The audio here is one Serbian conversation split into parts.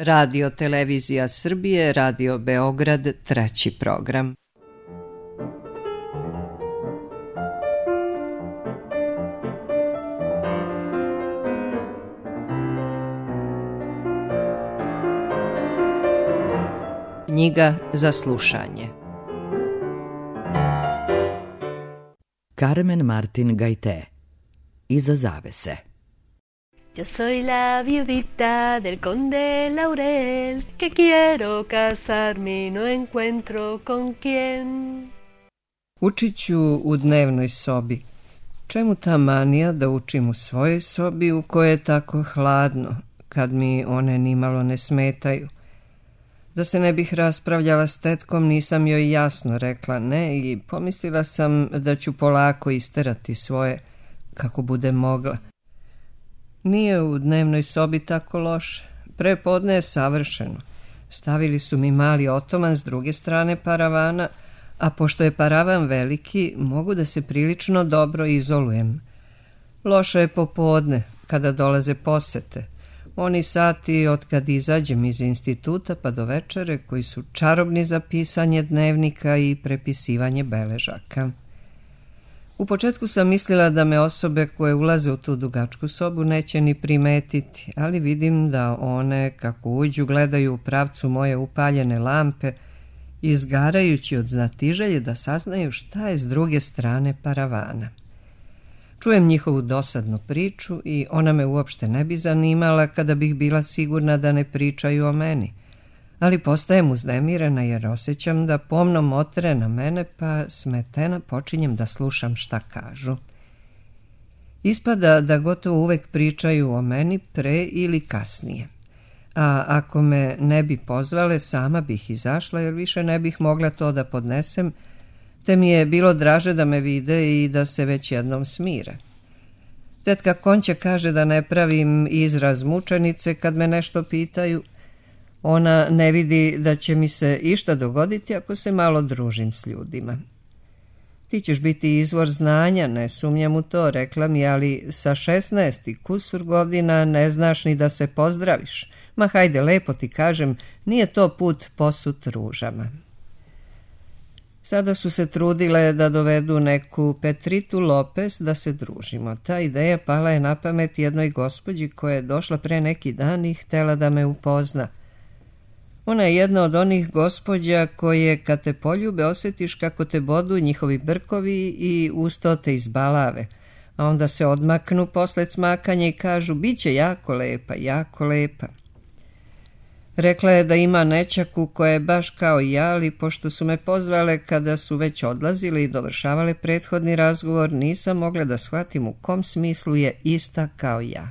Radio Televizija Srbije, Radio Beograd, treći program. Knjiga za slušanje. Carmen Martin Gaité. Iza zavese. Yo soy la viudita del conde Laurel, que quiero casarme y no encuentro con quién. Učit ću u dnevnoj sobi. Čemu ta manija da učim u svojoj sobi u kojoj je tako hladno, kad mi one nimalo ne smetaju? Da se ne bih raspravljala s tetkom, nisam joj jasno rekla ne i pomislila sam da ću polako isterati svoje, kako bude mogla. Nije u dnevnoj sobi tako loše. Prepodne je savršeno. Stavili su mi mali otoman s druge strane paravana, a pošto je paravan veliki, mogu da se prilično dobro izolujem. Loše je popodne, kada dolaze posete. Oni sati od kad izađem iz instituta pa do večere, koji su čarobni za pisanje dnevnika i prepisivanje beležaka. U početku sam mislila da me osobe koje ulaze u tu dugačku sobu neće ni primetiti, ali vidim da one, kako uđu, gledaju u pravcu moje upaljene lampe, izgarajući od znatiželje da saznaju šta je s druge strane paravana. Čujem njihovu dosadnu priču i ona me uopšte ne bi zanimala kada bih bila sigurna da ne pričaju o meni. Ali postajem uznemirena jer osjećam da pomno motre na mene, pa smetena počinjem da slušam šta kažu. Ispada da gotovo uvek pričaju o meni pre ili kasnije. A ako me ne bi pozvale, sama bih izašla jer više ne bih mogla to da podnesem, te mi je bilo draže da me vide i da se već jednom smire. Tetka Konća kaže da ne pravim izraz mučenice kad me nešto pitaju. Ona ne vidi da će mi se išta dogoditi ako se malo družim s ljudima. Ti ćeš biti izvor znanja, ne sumnjam u to, rekla mi, ali sa 16 i kusur godina ne znaš ni da se pozdraviš. Ma hajde, lepo ti kažem, nije to put posut ružama. Sada su se trudile da dovedu neku Petritu Lopez da se družimo. Ta ideja pala je na pamet jednoj gospođi koja je došla pre neki dan i htela da me upozna. Ona je jedna od onih gospođa koje kad te poljube osjetiš kako te bodu njihovi brkovi i usto te izbalave, a onda se odmaknu posle cmakanja i kažu biće jako lepa, jako lepa. Rekla je da ima nećaku koja je baš kao ja, ali pošto su me pozvale kada su već odlazile i dovršavale prethodni razgovor, nisam mogla da shvatim u kom smislu je ista kao ja.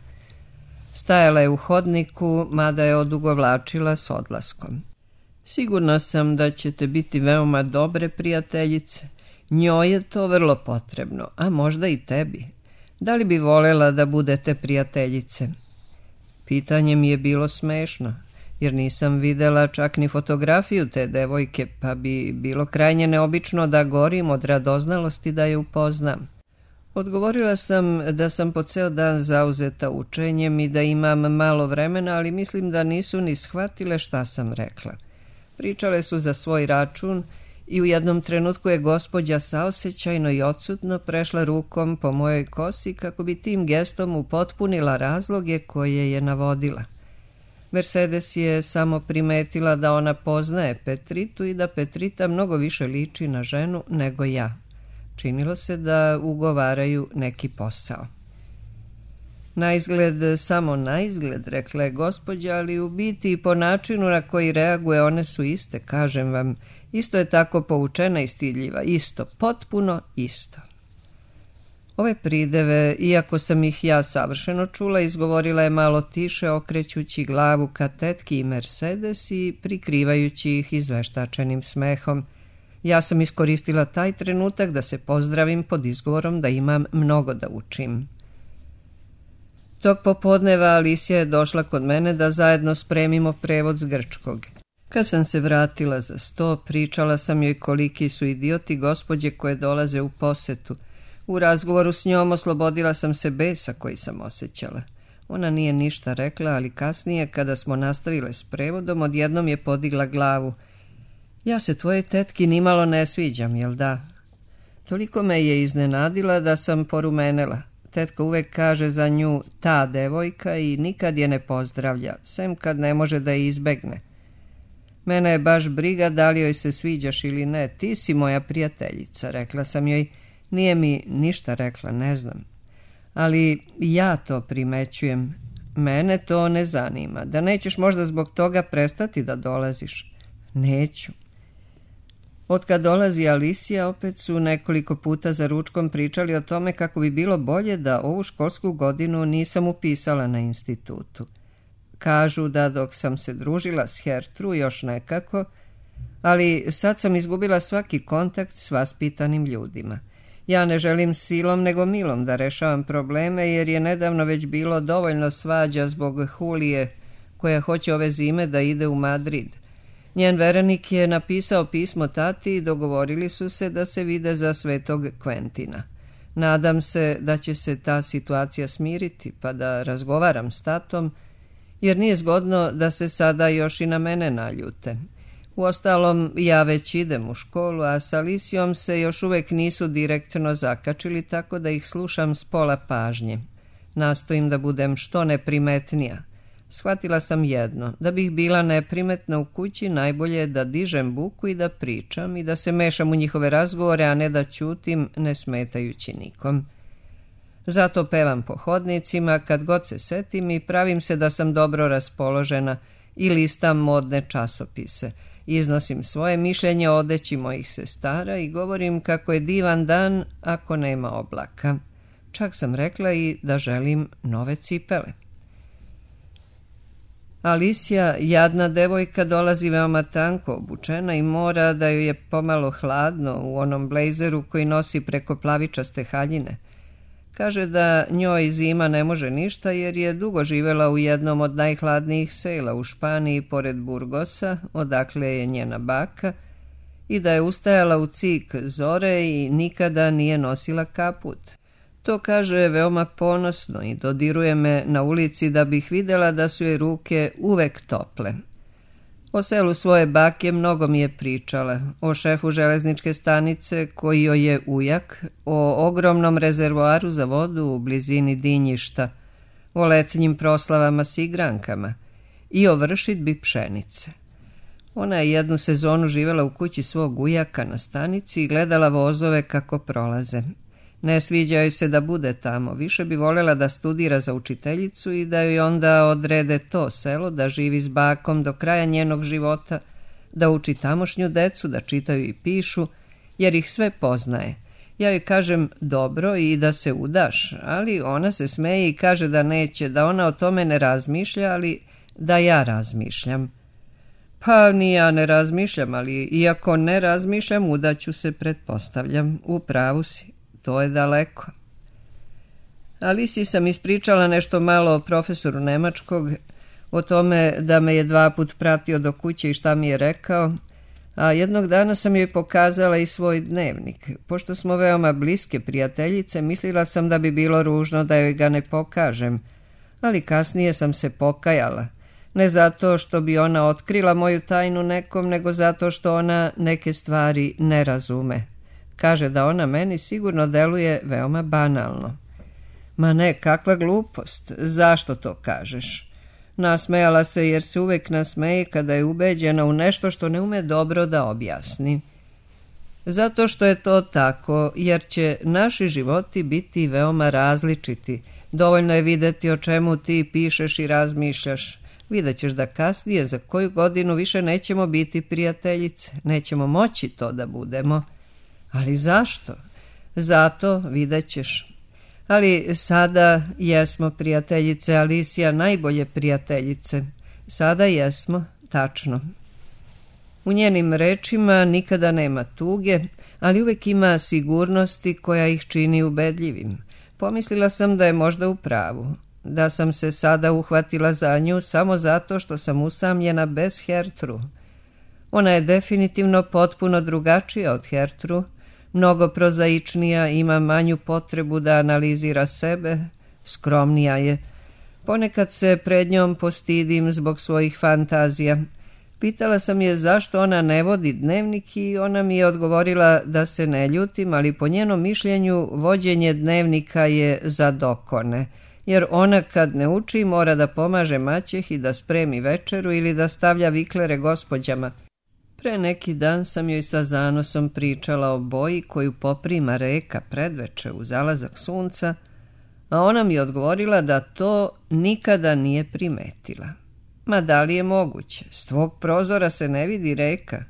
Stajala je u hodniku, mada je odugovlačila s odlaskom. Sigurna sam da ćete biti veoma dobre prijateljice. Njoj je to vrlo potrebno, a možda i tebi. Da li bi volela da budete prijateljice? Pitanje mi je bilo smešno, jer nisam videla čak ni fotografiju te devojke, pa bi bilo krajnje neobično da gorim od radoznalosti da je upoznam. Odgovorila sam da sam po ceo dan zauzeta učenjem i da imam malo vremena, ali mislim da nisu ni shvatile šta sam rekla. Pričale su za svoj račun i u jednom trenutku je gospođa saosećajno i odsutno prešla rukom po mojoj kosi kako bi tim gestom upotpunila razloge koje je navodila. Mercedes je samo primetila da ona poznaje Petritu i da Petrita mnogo više liči na ženu nego ja. Činilo se da ugovaraju neki posao. Naizgled, samo naizgled, rekla je gospođa, ali u biti i po načinu na koji reaguje one su iste, kažem vam. Isto je tako poučena i stidljiva, isto, potpuno isto. Ove prideve, iako sam ih ja savršeno čula, izgovorila je malo tiše, okrećući glavu ka tetki i Mercedes i prikrivajući ih izveštačenim smehom. Ja sam iskoristila taj trenutak da se pozdravim pod izgovorom da imam mnogo da učim. Tog popodneva Alisija je došla kod mene da zajedno spremimo prevod s grčkog. Kad sam se vratila za sto, pričala sam joj koliki su idioti gospođe koje dolaze u posetu. U razgovoru s njom oslobodila sam se besa koji sam osjećala. Ona nije ništa rekla, ali kasnije, kada smo nastavile s prevodom, odjednom je podigla glavu. Ja se tvojoj tetki nimalo ne sviđam, jel da? Toliko me je iznenadila da sam porumenela. Tetka uvek kaže za nju ta devojka i nikad je ne pozdravlja, sem kad ne može da je izbegne. Mene je baš briga da li joj se sviđaš ili ne, ti si moja prijateljica, rekla sam joj. Nije mi ništa rekla, ne znam. Ali ja to primećujem. Mene to ne zanima. Da nećeš možda zbog toga prestati da dolaziš? Neću. Otkad dolazi Alicija, opet su nekoliko puta za ručkom pričali o tome kako bi bilo bolje da ovu školsku godinu nisam upisala na institutu. Kažu da dok sam se družila s Hertru još nekako, ali sad sam izgubila svaki kontakt s vaspitanim ljudima. Ja ne želim silom nego milom da rešavam probleme, jer je nedavno već bilo dovoljno svađa zbog Hulije, koja hoće ove zime da ide u Madrid. Njen verenik je napisao pismo tati i dogovorili su se da se vide za Svetog Kventina. Nadam se da će se ta situacija smiriti, pa da razgovaram s tatom, jer nije zgodno da se sada još i na mene naljute. Uostalom, ja već idem u školu, a s Alicijom se još uvek nisu direktno zakačili, tako da ih slušam s pola pažnje. Nastojim da budem što neprimetnija. Shvatila sam jedno, da bih bila neprimetna u kući, najbolje je da dižem buku i da pričam i da se mešam u njihove razgovore, a ne da ćutim, ne smetajući nikom. Zato pevam po hodnicima kad god se setim i pravim se da sam dobro raspoložena i listam modne časopise. Iznosim svoje mišljenje o odeći mojih sestara i govorim kako je divan dan ako nema oblaka. Čak sam rekla i da želim nove cipele. Alicija, jadna devojka, dolazi veoma tanko obučena i mora da joj je pomalo hladno u onom blejzeru koji nosi preko plavičaste haljine. Kaže da njoj zima ne može ništa jer je dugo živela u jednom od najhladnijih sela u Španiji pored Burgosa, odakle je njena baka, i da je ustajala u cik zore i nikada nije nosila kaput. To kaže veoma ponosno i dodiruje me na ulici da bih vidjela da su joj ruke uvek tople. O selu svoje bake mnogo mi je pričala, o šefu železničke stanice koji joj je ujak, o ogromnom rezervoaru za vodu u blizini Dinjišta, o letnjim proslavama s igrankama i o vršidbi pšenice. Ona je jednu sezonu živjela u kući svog ujaka na stanici i gledala vozove kako prolaze. Ne sviđa joj se da bude tamo, više bi voljela da studira za učiteljicu i da joj onda odrede to selo, da živi s bakom do kraja njenog života, da uči tamošnju decu, da čitaju i pišu, jer ih sve poznaje. Ja joj kažem dobro i da se udaš, ali ona se smeje i kaže da neće, da ona o tome ne razmišlja, ali da ja razmišljam. Pa ni ja ne razmišljam, ali iako ne razmišljam, udaću se, pretpostavljam. U pravu si. To je daleko. Alici sam ispričala nešto malo o profesoru nemačkog, o tome da me je 2 puta pratio do kuće i šta mi je rekao, a jednog dana sam joj pokazala i svoj dnevnik. Pošto smo veoma bliske prijateljice, mislila sam da bi bilo ružno da joj ga ne pokažem, ali kasnije sam se pokajala. Ne zato što bi ona otkrila moju tajnu nekom, nego zato što ona neke stvari ne razume. Kaže da ona meni sigurno deluje veoma banalno. Ma ne, kakva glupost, zašto to kažeš? Nasmejala se jer se uvek nasmeje kada je ubeđena u nešto što ne ume dobro da objasni. Zato što je to tako, jer će naši životi biti veoma različiti. Dovoljno je videti o čemu ti pišeš i razmišljaš. Vidjet ćeš da kasnije za koju godinu više nećemo biti prijateljice, nećemo moći to da budemo. Ali zašto? Zato vidjet ćeš. Ali sada jesmo prijateljice, Alicija, najbolje prijateljice. Sada jesmo, tačno. U njenim rečima nikada nema tuge, ali uvek ima sigurnosti koja ih čini ubedljivim. Pomislila sam da je možda u pravu, da sam se sada uhvatila za nju samo zato što sam usamljena bez Hertru. Ona je definitivno potpuno drugačija od Hertru, mnogo prozaičnija, ima manju potrebu da analizira sebe, skromnija je. Ponekad se pred njom postidim zbog svojih fantazija. Pitala sam je zašto ona ne vodi dnevnik i ona mi je odgovorila da se ne ljutim, ali po njenom mišljenju vođenje dnevnika je za dokone, jer ona kad ne uči mora da pomaže maćehi da spremi večeru ili da stavlja viklere gospođama. Pre neki dan sam joj sa zanosom pričala o boji koju poprima reka predveče u zalazak sunca, a ona mi je odgovorila da to nikada nije primetila. Ma da li je moguće? S tvog prozora se ne vidi reka.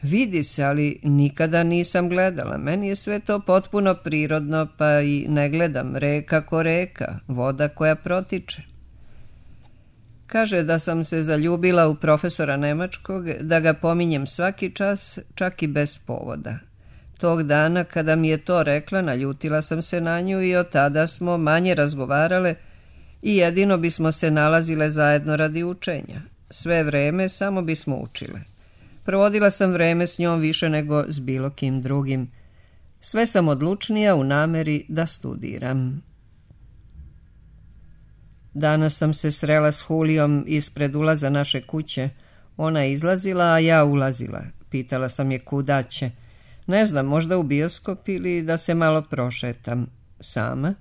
Vidi se, ali nikada nisam gledala. Meni je sve to potpuno prirodno, pa i ne gledam reka ko reka, voda koja protiče. Kaže da sam se zaljubila u profesora nemačkog, da ga pominjem svaki čas, čak i bez povoda. Tog dana kada mi je to rekla, naljutila sam se na nju i od tada smo manje razgovarale i jedino bismo se nalazile zajedno radi učenja. Sve vreme samo bismo učile. Provodila sam vreme s njom više nego s bilo kim drugim. Sve sam odlučnija u nameri da studiram. Danas sam se srela s Hulijom ispred ulaza naše kuće. Ona je izlazila, a ja ulazila. Pitala sam je kuda će. Ne znam, možda u bioskop ili da se malo prošetam. Sama?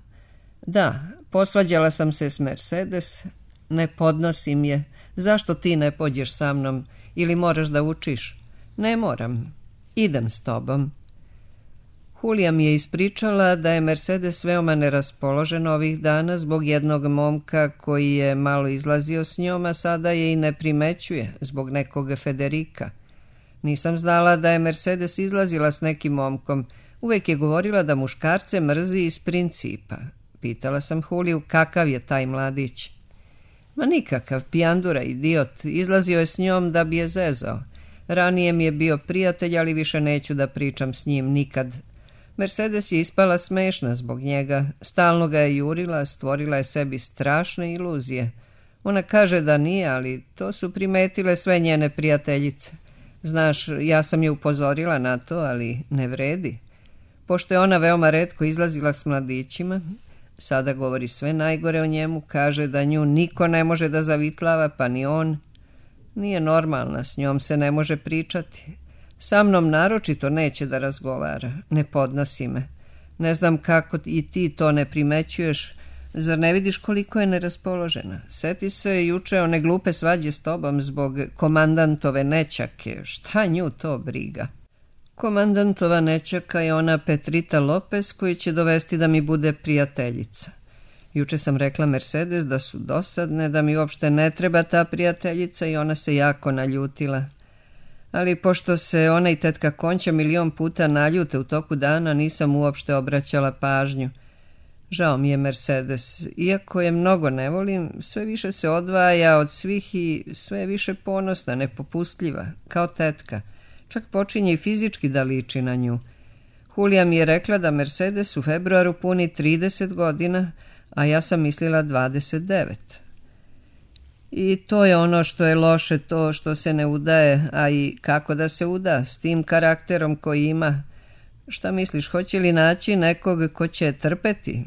Da, posvađala sam se s Mercedes. Ne podnosim je. Zašto ti ne pođeš sa mnom? Ili moraš da učiš? Ne moram. Idem s tobom. Hulija mi je ispričala da je Mercedes veoma neraspoložena ovih dana zbog jednog momka koji je malo izlazio s njom, a sada je i ne primećuje zbog nekog Federika. Nisam znala da je Mercedes izlazila s nekim momkom. Uvek je govorila da muškarce mrzi iz principa. Pitala sam Huliju kakav je taj mladić. Ma nikakav, pijandura, idiot. Izlazio je s njom da bi je zezao. Ranije mi je bio prijatelj, ali više neću da pričam s njim nikad. Mercedes je ispala smešna zbog njega. Stalno ga je jurila, stvorila je sebi strašne iluzije. Ona kaže da nije, ali to su primetile sve njene prijateljice. Znaš, ja sam je upozorila na to, ali ne vredi. Pošto je ona veoma retko izlazila s mladićima, sada govori sve najgore o njemu, kaže da nju niko ne može da zavitlava, pa ni on. Nije normalna, s njom se ne može pričati. Sa mnom naročito neće da razgovara, ne podnosi me. Ne znam kako i ti to ne primećuješ, zar ne vidiš koliko je neraspoložena? Seti se juče one glupe svađe s tobom zbog komandantove nećake, šta nju to briga? Komandantova nećaka je ona Petrita Lopez koju će dovesti da mi bude prijateljica. Juče sam rekla Mercedes da su dosadne, da mi uopšte ne treba ta prijateljica i ona se jako naljutila. Ali pošto se ona i tetka Konća milion puta naljute u toku dana, nisam uopšte obraćala pažnju. Žao mi je Mercedes, iako je mnogo ne volim, sve više se odvaja od svih i sve je više ponosna, nepopustljiva, kao tetka. Čak počinje i fizički da liči na nju. Hulija mi je rekla da Mercedes u februaru puni 30 godina, a ja sam mislila 29. I to je ono što je loše, to što se ne udaje, a i kako da se uda s tim karakterom koji ima. Šta misliš, hoće li naći nekog ko će trpeti?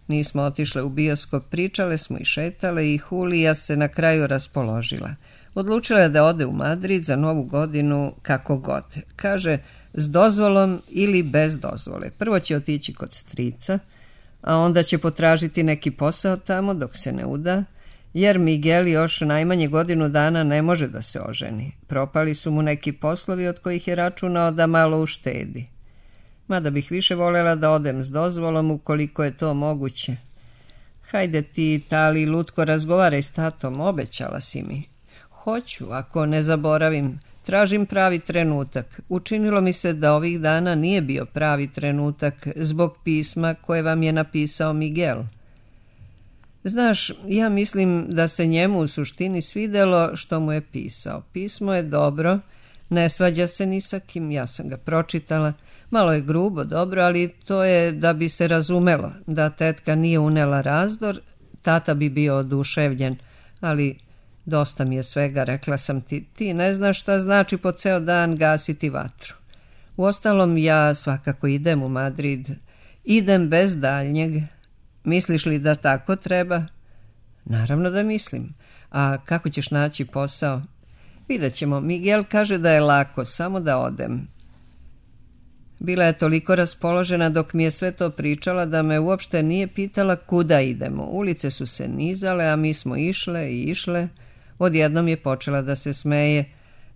Nismo otišle u bioskop, pričale smo i šetale i Hulija se na kraju raspoložila. Odlučila je da ode u Madrid za Novu godinu kako god. Kaže, s dozvolom ili bez dozvole. Prvo će otići kod strica, a onda će potražiti neki posao tamo dok se ne uda, jer Miguel još najmanje godinu dana ne može da se oženi. Propali su mu neki poslovi od kojih je računao da malo uštedi. Mada bih više voljela da odem s dozvolom ukoliko je to moguće. Hajde ti, Tali, lutko, razgovaraj s tatom, obećala si mi. Hoću, ako ne zaboravim. Tražim pravi trenutak. Učinilo mi se da ovih dana nije bio pravi trenutak zbog pisma koje vam je napisao Miguel. Znaš, ja mislim da se njemu u suštini svidelo što mu je pisao. Pismo je dobro, ne svađa se ni sa kim, ja sam ga pročitala. Malo je grubo, dobro, ali to je da bi se razumelo. Da tetka nije unela razdor, tata bi bio oduševljen, ali dosta mi je svega, rekla sam ti. Ti ne znaš šta znači po ceo dan gasiti vatru. Uostalom, ja svakako idem u Madrid. Idem bez daljnjeg. Misliš li da tako treba? Naravno da mislim. A kako ćeš naći posao? Vidjet ćemo. Miguel kaže da je lako, samo da odem. Bila je toliko raspoložena dok mi je sve to pričala da me uopšte nije pitala kuda idemo. Ulice su se nizale, a mi smo išle i išle. Odjednom je počela da se smeje.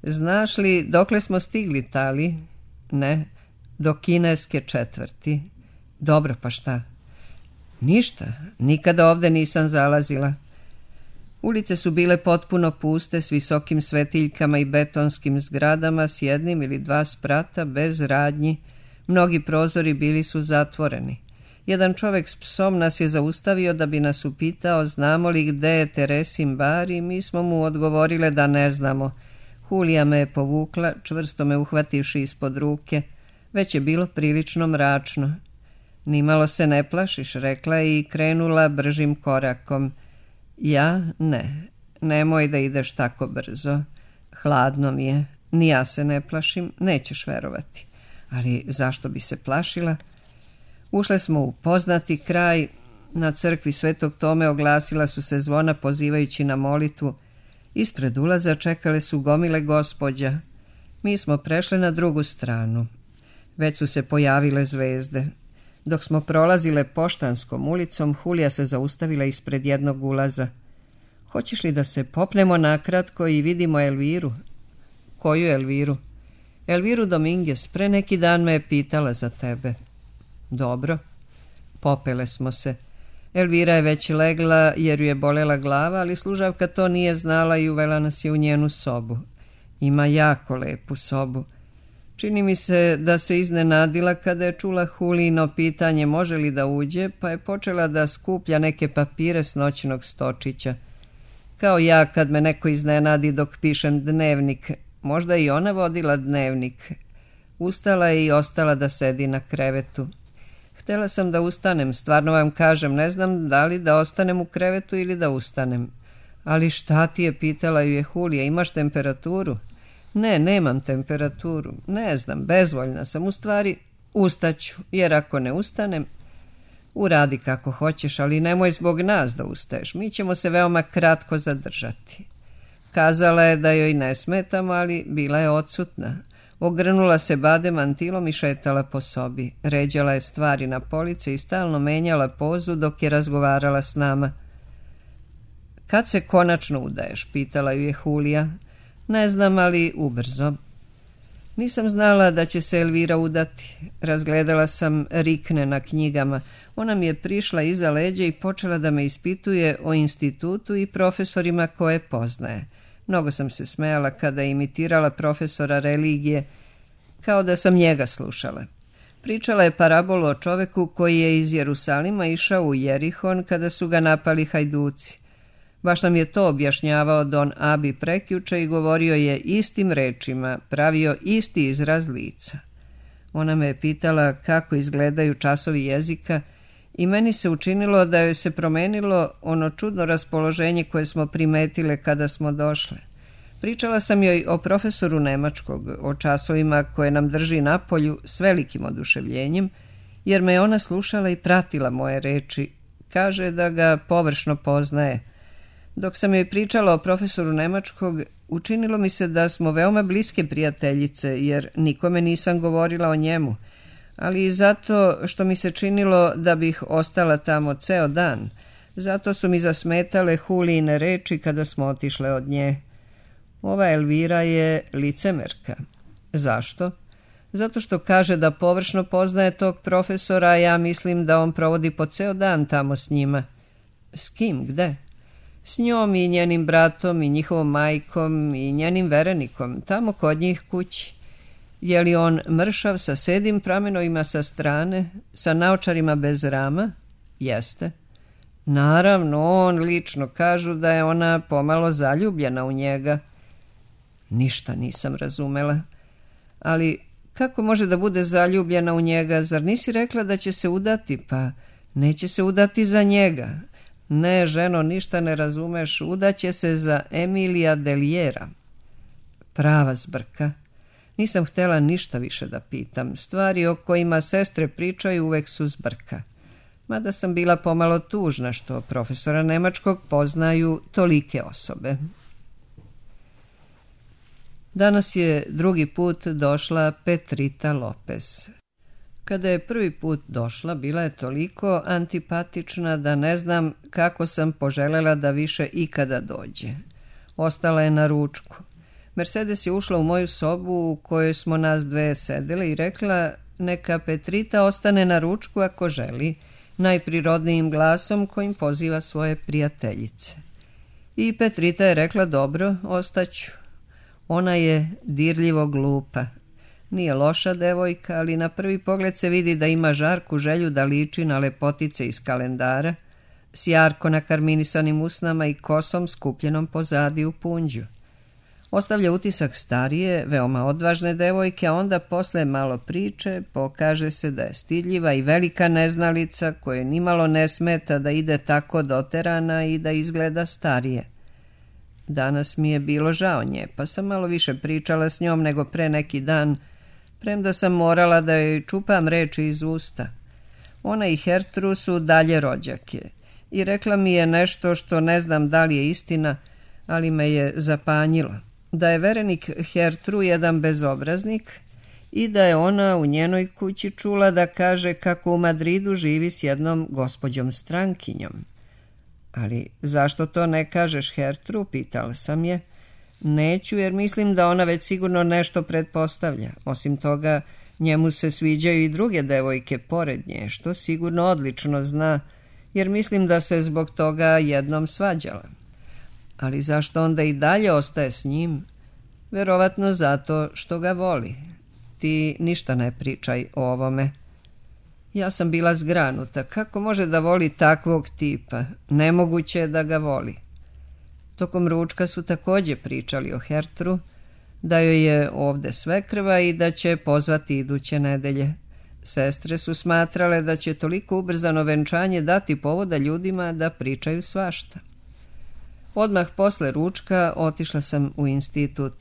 Znaš li dokle smo stigli, Tali? Ne, do kineske četvrti. Dobro, pa šta? Ništa, nikada ovde nisam zalazila. Ulice su bile potpuno puste, s visokim svetiljkama i betonskim zgradama, s jednim ili dva sprata, bez radnji. Mnogi prozori bili su zatvoreni. Jedan čovjek s psom nas je zaustavio da bi nas upitao znamo li gde je Teresin bar i mi smo mu odgovorile da ne znamo. Hulija me je povukla, čvrsto me uhvativši ispod ruke. Već je bilo prilično mračno. Nimalo se ne plašiš, rekla je i krenula bržim korakom. Ja ne, nemoj da ideš tako brzo. Hladno mi je, ni ja se ne plašim, nećeš verovati. Ali zašto bi se plašila? Ušle smo u poznati kraj. Na crkvi Svetog Tome oglasila su se zvona pozivajući na molitvu. Ispred ulaza čekale su gomile gospođa. Mi smo prešle na drugu stranu. Već su se pojavile zvezde. Dok smo prolazile Poštanskom ulicom, Hulija se zaustavila ispred jednog ulaza. Hoćeš li da se popnemo nakratko i vidimo Elviru? Koju Elviru? Elviru Dominguez, pre neki dan me je pitala za tebe. Dobro. Popele smo se. Elvira je već legla jer ju je bolela glava, ali služavka to nije znala i uvela nas je u njenu sobu. Ima jako lepu sobu. Čini mi se da se iznenadila kada je čula Hulijino pitanje može li da uđe, pa je počela da skuplja neke papire s noćnog stočića. Kao ja kad me neko iznenadi dok pišem dnevnik, možda i ona vodila dnevnik. Ustala je i ostala da sedi na krevetu. Htjela sam da ustanem, stvarno vam kažem, ne znam da li da ostanem u krevetu ili da ustanem. Ali šta ti je, pitala ju je Hulija, imaš temperaturu? Ne, nemam temperaturu, ne znam, bezvoljna sam, u stvari ustaću, jer ako ne ustanem, uradi kako hoćeš, ali nemoj zbog nas da ustaješ, mi ćemo se veoma kratko zadržati. Kazala je da joj ne smetam, ali bila je odsutna. Ogrnula se bade mantilom i šetala po sobi. Ređala je stvari na police i stalno menjala pozu dok je razgovarala s nama. Kad se konačno udaješ, pitala ju je Hulija. Ne znam, ali ubrzo. Nisam znala da će se Elvira udati. Razgledala sam rikne na knjigama. Ona mi je prišla iza leđa i počela da me ispituje o institutu i profesorima koje poznaje. Mnogo sam se smejala kada je imitirala profesora religije, kao da sam njega slušala. Pričala je parabolu o čoveku koji je iz Jerusalima išao u Jerihon kada su ga napali hajduci. Baš nam je to objašnjavao Don Abi prekjuče i govorio je istim rečima, pravio isti izraz lica. Ona me je pitala kako izgledaju časovi jezika i meni se učinilo da joj se promenilo ono čudno raspoloženje koje smo primetile kada smo došle. Pričala sam joj o profesoru nemačkog, o časovima koje nam drži napolju s velikim oduševljenjem, jer me ona slušala i pratila moje reči. Kaže da ga površno poznaje. Dok sam joj pričala o profesoru nemačkog, učinilo mi se da smo veoma bliske prijateljice, jer nikome nisam govorila o njemu, ali i zato što mi se činilo da bih ostala tamo ceo dan. Zato su mi zasmetale Hulijine reči kada smo otišle od nje. Ova Elvira je licemerka. Zašto? Zato što kaže da površno poznaje tog profesora, a ja mislim da on provodi po ceo dan tamo s njima. S kim? Gde? S njom i njenim bratom i njihovom majkom i njenim verenikom, tamo kod njih kući. Je li on mršav sa sedim pramenovima sa strane, sa naočarima bez rama? Jeste. Naravno, on lično kažu da je ona pomalo zaljubljena u njega. Ništa nisam razumela. Ali kako može da bude zaljubljena u njega? Zar nisi rekla da će se udati? Pa neće se udati za njega. Ne, ženo, ništa ne razumeš, udaće se za Emilija Deliera. Prava zbrka. Nisam htjela ništa više da pitam. Stvari o kojima sestre pričaju uvek su zbrka. mada sam bila pomalo tužna što profesora nemačkog poznaju tolike osobe. Danas je drugi put došla Petrita Lopez. Kada je prvi put došla, bila je toliko antipatična da ne znam kako sam poželjela da više ikada dođe. Ostala je na ručku. Mercedes je ušla u moju sobu u kojoj smo nas dve sedele i rekla neka Petrita ostane na ručku ako želi, najprirodnijim glasom kojim poziva svoje prijateljice. I Petrita je rekla dobro, ostaću. Ona je dirljivo glupa. Nije loša devojka, ali na prvi pogled se vidi da ima žarku želju da liči na lepotice iz kalendara, s jarko nakarminisanim usnama i kosom skupljenom pozadi u punđu. Ostavlja utisak starije, veoma odvažne devojke, a onda posle malo priče pokaže se da je stidljiva i velika neznalica koje nimalo ne smeta da ide tako doterana i da izgleda starije. Danas mi je bilo žao nje, pa sam malo više pričala s njom nego pre neki dan, premda sam morala da joj čupam reči iz usta. Ona i Hertru su dalje rođake i rekla mi je nešto što ne znam da li je istina, ali me je zapanjilo. Da je verenik Hertru jedan bezobraznik i da je ona u njenoj kući čula da kaže kako u Madridu živi s jednom gospođom strankinjom. Ali zašto to ne kažeš Hertru, pitala sam je. Neću, jer mislim da ona već sigurno nešto pretpostavlja. Osim toga, njemu se sviđaju i druge devojke pored nje, što sigurno odlično zna, jer mislim da se zbog toga jednom svađala. Ali zašto onda i dalje ostaje s njim? Verovatno zato što ga voli. Ti ništa ne pričaj o ovome. Ja sam bila zgranuta. Kako može da voli takvog tipa? Nemoguće je da ga voli. Tokom ručka su također pričali o Hertru, da joj je ovde svekrva i da će pozvati iduće nedelje. Sestre su smatrale da će toliko ubrzano venčanje dati povoda ljudima da pričaju svašta. Odmah posle ručka otišla sam u institut.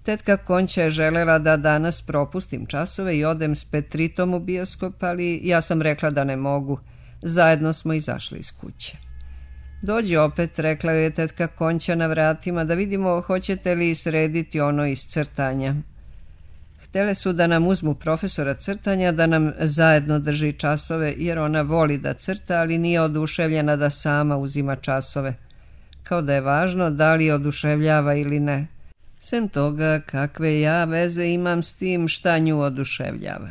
Tetka Konća je želela da danas propustim časove i odem s Petritom u bioskop, ali ja sam rekla da ne mogu. Zajedno smo izašli iz kuće. Dođi opet, rekla joj je tetka Konća na vratima, da vidimo hoćete li srediti ono iz crtanja. Htele su da nam uzmu profesora crtanja, da nam zajedno drži časove, jer ona voli da crta, ali nije oduševljena da sama uzima časove. Kao da je važno da li oduševljava ili ne. Sem toga, kakve ja veze imam s tim šta nju oduševljava.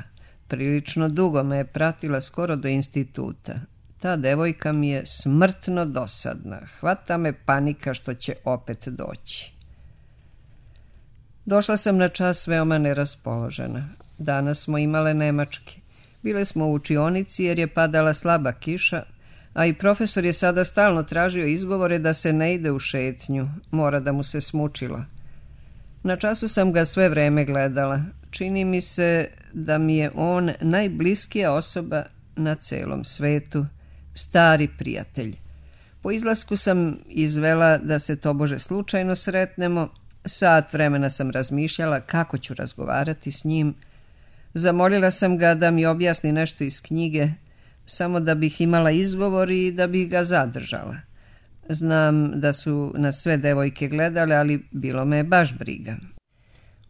Prilično dugo me je pratila skoro do instituta. Ta devojka mi je smrtno dosadna. Hvata me panika što će opet doći. Došla sam na čas veoma neraspoložena. Danas smo imale nemački. Bile smo u učionici jer je padala slaba kiša, a i profesor je sada stalno tražio izgovore da se ne ide u šetnju. Mora da mu se smučilo. Na času sam ga sve vreme gledala. Čini mi se da mi je on najbliskija osoba na celom svetu, stari prijatelj. Po izlasku sam izvela da se tobože slučajno sretnemo. Sat vremena sam razmišljala kako ću razgovarati s njim. Zamolila sam ga da mi objasni nešto iz knjige, samo da bih imala izgovor i da bih ga zadržala. Znam da su nas sve devojke gledale, ali bilo me baš briga.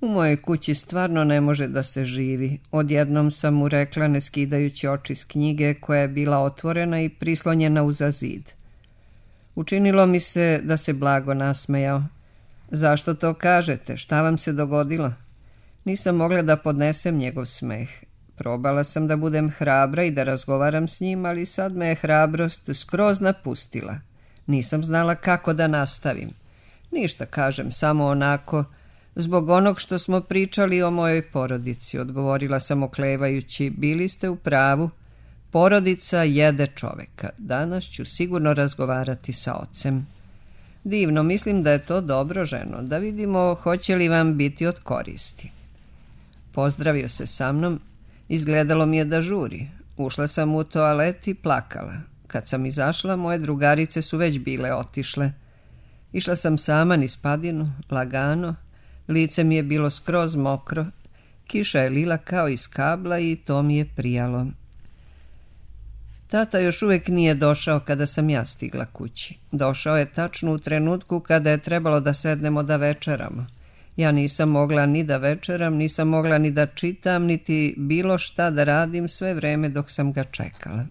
U mojoj kući stvarno ne može da se živi. Odjednom sam mu rekla, ne skidajući oči s knjige koja je bila otvorena i prislonjena uza zid. Učinilo mi se da se blago nasmejao. Zašto to kažete? Šta vam se dogodilo? Nisam mogla da podnesem njegov smeh. Probala sam da budem hrabra i da razgovaram s njim, ali sad me je hrabrost skroz napustila. Nisam znala kako da nastavim. Ništa, kažem, samo onako, zbog onog što smo pričali o mojoj porodici, odgovorila sam oklevajući. Bili ste u pravu. Porodica jede čoveka. Danas ću sigurno razgovarati sa ocem. Divno, mislim da je to dobro, ženo, da vidimo hoće li vam biti od koristi. Pozdravio se sa mnom. Izgledalo mi je da žuri. Ušla sam u toalet i plakala. Kad sam izašla, moje drugarice su već bile otišle. Išla sam sama niz padinu, lagano. Lice mi je bilo skroz mokro. Kiša je lila kao iz kabla i to mi je prijalo. Tata još uvijek nije došao kada sam ja stigla kući. Došao je tačno u trenutku kada je trebalo da sednemo da večeramo. Ja nisam mogla ni da večeram, nisam mogla ni da čitam, niti bilo šta da radim sve vreme dok sam ga čekala.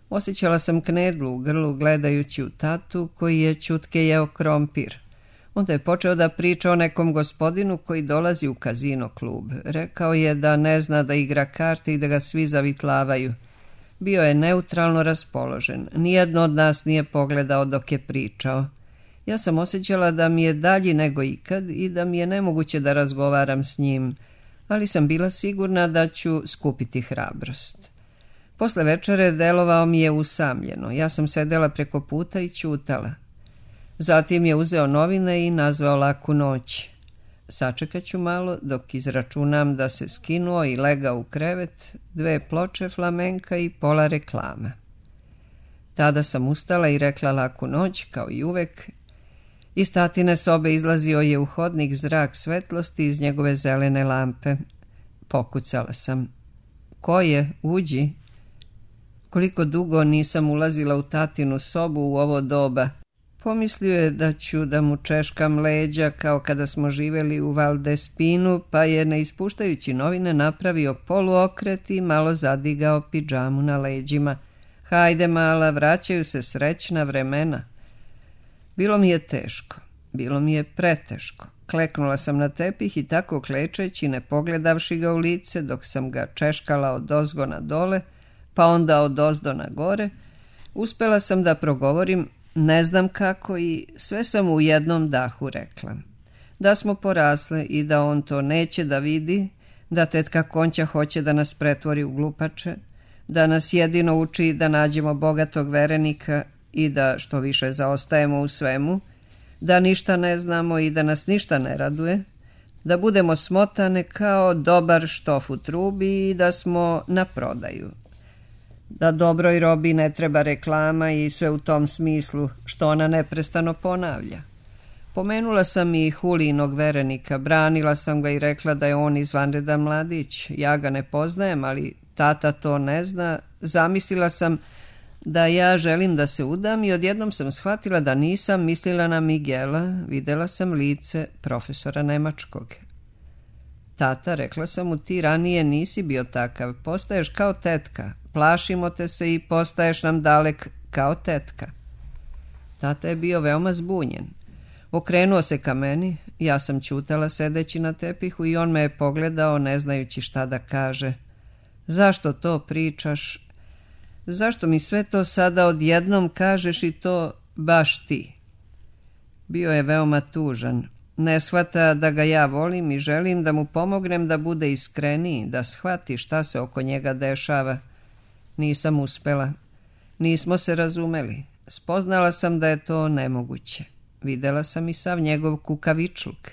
Osjećala sam knedlu u grlu gledajući u tatu koji je ćutke jeo krompir. Onda je počeo da priča o nekom gospodinu koji dolazi u kazino klub. Rekao je da ne zna da igra karte i da ga svi zavitlavaju. Bio je neutralno raspoložen. Nijedno od nas nije pogledao dok je pričao. Ja sam osjećala da mi je dalji nego ikad i da mi je nemoguće da razgovaram s njim, ali sam bila sigurna da ću skupiti hrabrost. Posle večere delovao mi je usamljeno. Ja sam sedela preko puta i ćutala. Zatim je uzeo novine i nazvao Laku noć. Sačekat ću malo dok izračunam da se skinuo i legao u krevet, 2 ploče flamenka i pola reklama. Tada sam ustala i rekla Laku noć, kao i uvek. Iz tatine sobe izlazio je u hodnik zrak svetlosti iz njegove zelene lampe. Pokucala sam. Ko je? Uđi. Koliko dugo nisam ulazila u tatinu sobu u ovo doba. Pomislio je da ću da mu češkam leđa kao kada smo živjeli u Valdespinu, pa je ne ispuštajući novine napravio poluokret i malo zadigao pidžamu na leđima. Hajde mala, vraćaju se srećna vremena. Bilo mi je teško, bilo mi je preteško. Kleknula sam na tepih i tako klečeći, ne pogledavši ga u lice, dok sam ga češkala od ozgo na dole, pa onda od ozdo na gore, uspela sam da progovorim ne znam kako i sve sam u jednom dahu rekla. Da smo porasle i da on to neće da vidi, da tetka Konća hoće da nas pretvori u glupače, da nas jedino uči da nađemo bogatog verenika i da što više zaostajemo u svemu, da ništa ne znamo i da nas ništa ne raduje, da budemo smotane kao dobar štof u trubi i da smo na prodaju. Da dobroj robi ne treba reklama i sve u tom smislu što ona neprestano ponavlja. Pomenula sam i Hulijinog verenika, branila sam ga i rekla da je on izvanredan mladić. Ja ga ne poznajem, ali tata to ne zna. Zamislila sam da ja želim da se udam i odjednom sam shvatila da nisam mislila na Miguela. Videla sam lice profesora nemačkog. Tata, rekla sam mu, ti ranije nisi bio takav, postaješ kao tetka. Plašimo te se i postaješ nam dalek kao tetka. Tata je bio veoma zbunjen. Okrenuo se ka meni, ja sam ćutala sedeći na tepihu i on me je pogledao ne znajući šta da kaže. Zašto to pričaš? Zašto mi sve to sada odjednom kažeš i to baš ti? Bio je veoma tužan. Ne shvata da ga ja volim i želim da mu pomognem da bude iskreniji, da shvati šta se oko njega dešava. Nisam uspela. Nismo se razumeli. Spoznala sam da je to nemoguće. Videla sam i sav njegov kukavičluk.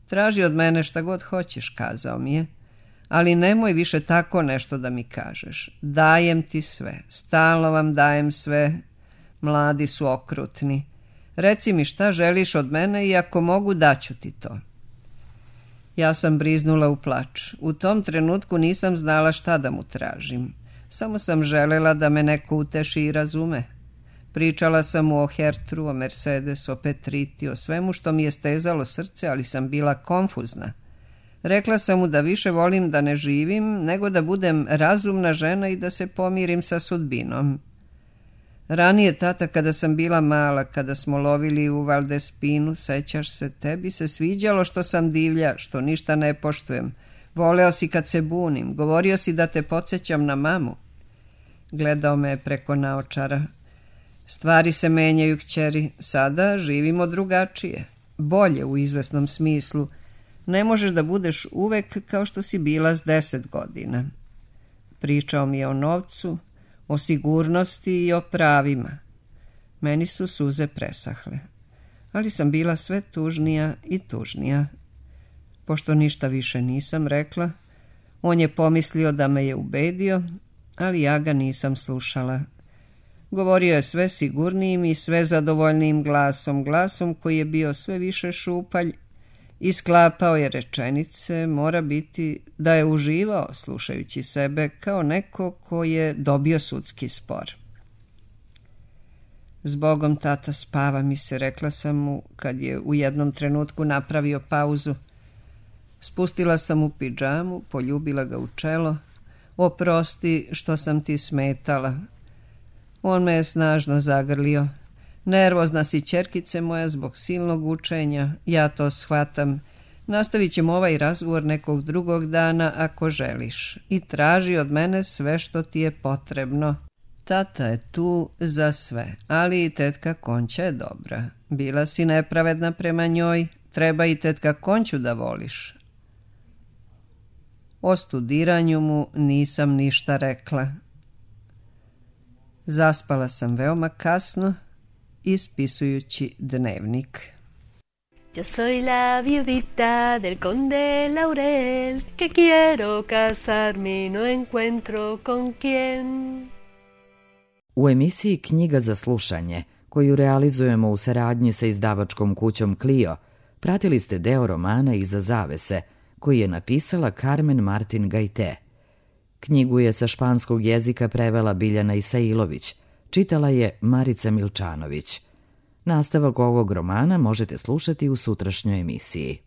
Traži od mene šta god hoćeš, kazao mi je, ali nemoj više tako nešto da mi kažeš. Dajem ti sve, stalno vam dajem sve. Mladi su okrutni. Reci mi šta želiš od mene i ako mogu daću ti to. Ja sam briznula u plač. U tom trenutku nisam znala šta da mu tražim. Samo sam želela da me neko uteši i razume. Pričala sam mu o Hertru, o Mercedes, o Petriti, o svemu što mi je stezalo srce, ali sam bila konfuzna. Rekla sam mu da više volim da ne živim, nego da budem razumna žena i da se pomirim sa sudbinom. Ranije, tata, kada sam bila mala, kada smo lovili u Valdespinu, sećaš se, tebi se sviđalo što sam divlja, što ništa ne poštujem. Voleo si kad se bunim, govorio si da te podsjećam na mamu. Gledao me je preko naočara. Stvari se menjaju, kćeri, sada živimo drugačije, bolje u izvesnom smislu. Ne možeš da budeš uvek kao što si bila s 10 godina. Pričao mi je o novcu, o sigurnosti i o pravima. Meni su suze presahle, ali sam bila sve tužnija i tužnija. Pošto ništa više nisam rekla, on je pomislio da me je ubedio, ali ja ga nisam slušala. Govorio je sve sigurnijim i sve zadovoljnijim glasom, glasom koji je bio sve više šupalj Isklapao je rečenice, mora biti da je uživao slušajući sebe kao neko ko je dobio sudski spor. Zbogom, tata, spava mi se, rekla sam mu kad je u jednom trenutku napravio pauzu. Spustila sam mu pidžamu, poljubila ga u čelo. Oprosti što sam ti smetala. On me je snažno zagrlio. Nervozna si, ćerkice moja, zbog silnog učenja. Ja to shvatam. Nastavit ćemo ovaj razgovor nekog drugog dana ako želiš. I traži od mene sve što ti je potrebno. Tata je tu za sve, ali i tetka Konća je dobra. Bila si nepravedna prema njoj, treba i tetka Konću da voliš. O studiranju mu nisam ništa rekla. Zaspala sam veoma kasno, ispisujući dnevnik. Yo soy la viudita del conde Laurel, que quiero casarme y no encuentro con quién. U emisiji Knjiga za slušanje, koju realizujemo u saradnji sa izdavačkom kućom Clio, pratili ste deo romana Iza zavese, koji je napisala Carmen Martin Gajte. Knjigu je sa španskog jezika prevela Biljana Isailović, čitala je Marica Milčanović. Nastavak ovog romana možete slušati u sutrašnjoj emisiji.